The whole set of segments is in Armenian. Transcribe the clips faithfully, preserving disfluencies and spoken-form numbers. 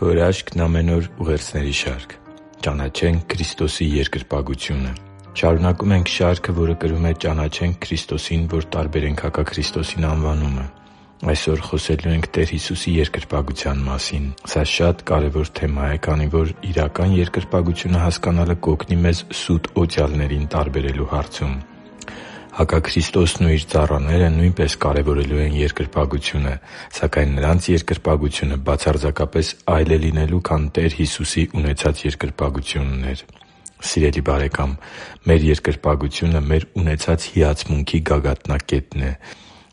Քո հրաշքն ամեն օր ուղերձների շարք։ Ճանաչենք Քրիստոսի երկրպագությունը։ Շարունակում ենք շարքը, որը կրում է «Ճանաչենք Քրիստոսին, որ տարբերենք հակաքրիստոսին» անվանումը։ Այսօր խոսելու ենք Տեր Հիսուսի երկրպագության մասին։ Սա շատ կարևոր թեմա է, քանի որ իրական երկրպագությունը հասկանալը կօգնի մեզ սուտ օծյալներին տարբերելու հարցում։ Հակաքրիստոսն ու իր ծառաները նույնպես կարևորելու են երկրպագությունը, սակայն նրանց երկրպագությունը բացարձակապես այլ է լինելու, քան Տեր Հիսուսի ունեցած երկրպագությունն էր։ Սիրելի՛ բարեկամ, մեր երկրպագությունը մեր ունեցած հիացմունքի գագաթնակետն է։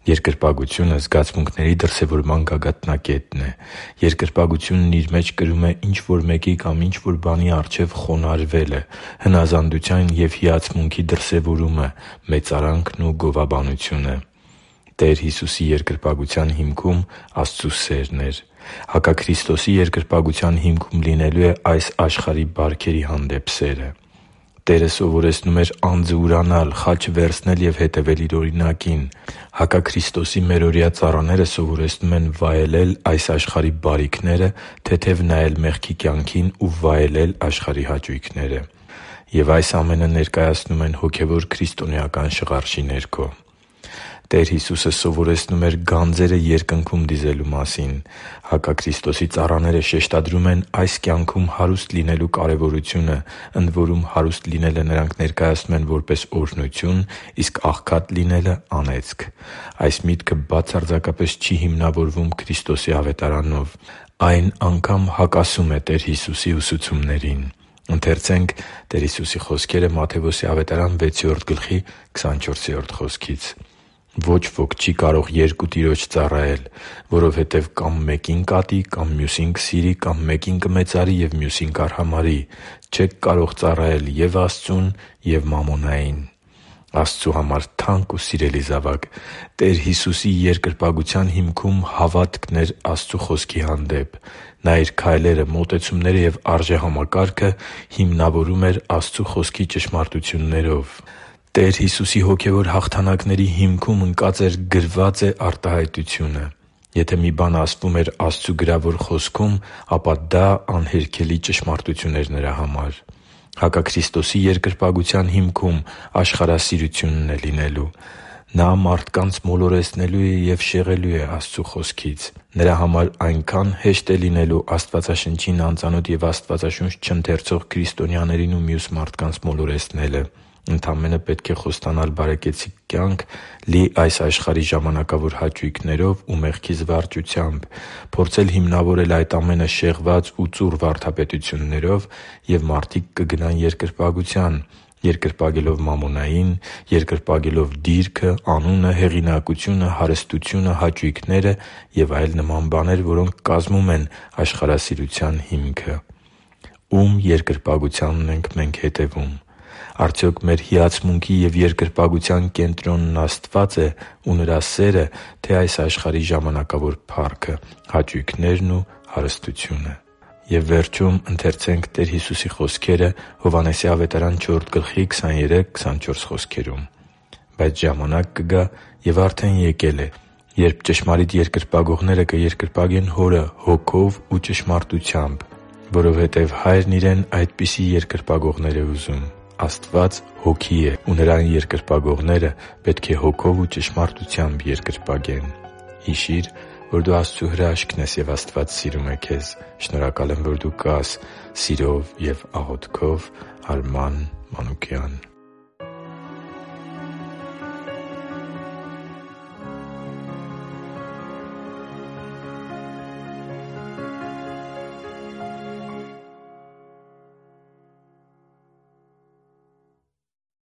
Երկրպագությունը զգացմունքների դրսևորման գագաթնակետն է։ Երկրպագությունն իր մեջ կրում է ինչ-որ մեկի կամ ինչ-որ բանի առջև խոնարհվելը, հնազանդության և հիացմունքի դրսևորումը, մեծարանքն ու գովաբանությունը։ Տեր Հիսուսի երկրպագության հիմքում Աստծու սերն էր։ Հակաքրիստոսի երկրպագության հիմքում լինելու է այս աշխարհի բարքերի հանդեպ սերը։ Տերը սովորեցնում էր անձը ուրանալ, խաչը վերցնել և հետևել Իր օրինակին։ Հակաքրիստոսի մերօրյա ծառաները սովորեցնում են վայելել այս աշխարհի բարիքները, թեթև նայել մեղքի կյանքին ու վայելել աշխարհի հաճույքները։ Եվ այս ամենը ներկայացնում են հոգևոր քրիստոնեական շղարշի ներքո։ Տեր Հիսուսը սովորեցնում էր գանձերը երկնքում դիզելու մասին։ Հակաքրիստոսի ծառաները շեշտադրում են այս կյանքում հարուստ լինելու կարևորությունը, ընդ որում հարուստ լինելը նրանք ներկայացնում են որպես օրհնություն, իսկ աղքատ լինելը՝ անեծք։ Այս միտքը բացարձակապես չի հիմնավորվում Քրիստոսի ավետարանով։ Այն անգամ հակասում է Տեր Հիսուսի ուսուցումներին։ «Ոչ ոք չի կարող երկու տիրոջ ծառայել, որովհետև կամ մեկին կատի, կամ մյուսին կսիրի, կամ մեկին կմեծարի և մյուսին կարհամարի։ Չեք կարող ծառայել և՛ Աստծուն, և՛ մամոնային» (Մատթեոս վեցերորդ գլխի քսաներկուերորդ խոսքից)։ Աստծու համար թանկ ու սիրելի՛ զավակ, Տեր Հիսուսի երկրպագության հիմքում հավատքն էր Աստծու Խոսքի հանդեպ։ Նա Իր քայլերը, մոտեցումները և արժեհամակարգը հիմնավորում էր Աստծու Խոսքի ճշմարտություններով։ Տեր Հիսուսի հոգևոր հաղթանակների հիմքում ընկած էր «գրված է» արտահայտությունը։ Եթե մի բան ասվում էր Աստծու գրավոր Խոսքում, ապա դա անհերքելի ճշմարտություն էր Նրա համար։ Հակաքրիստոսի երկրպագության հիմքում աշխարհասիրությունն է լինելու։ Նա մարդկանց մոլորեցնելու և շեղելու է Աստծու Խոսքից։ Նրա համար այնքան հեշտ է լինելու Աստվածաշնչին անծանոթ և Աստվածաշունչ չընթերցող քրիստոնյաներին ու մյուս մարդկանց մոլորեցնելը։ Ընդամենը պետք է խոստանալ բարեկեցիկ կյանք՝ լի այս աշխարհի ժամանակավոր հաճույքներով ու մեղքի զվարճությամբ, փորձել հիմնավորել այդ ամենը շեղված ու ծուռ վարդապետություններով, և մարդիկ կգնան երկրպագության՝ երկրպագելով մամոնային, երկրպագելով դիրքը, անունը, հեղինակությունը, հարստությունը, հաճույքները և այլ նման բաներ, որոնք կազմում են աշխարհասիրության հիմքը։ Ո՞ւմ երկրպագությանն ենք մենք հետևում։ Արդյոք մեր հիացմունքի և երկրպագության կենտրոնն Աստվա՞ծ է ու Նրա սերը, թե՞ այս աշխարհի ժամանակավոր փառքը, հաճույքներն ու հարստությունը։ «Բայց ժամանակ կգա, և արդեն եկել է, երբ ճշմարիտ երկրպագողները կերկրպագեն Հորը Հոգով ու ճշմարտությամբ, որովհետև Հայրն Իրեն այդպիսի երկրպագողներ է ուզում։ Աստված Հոգի է, ու Նրան երկրպագողները պետք է Հոգով ու ճշմարտությամբ երկրպագեն» (Հովհաննես Հիշի՛ր, որ դու Աստծո հրաշքն ես, և Աստված սիրում է քեզ։ Շնորհակալ եմ, որ դու կա՛ս սիրով և աղոթքով։ Արման Մանուկյան։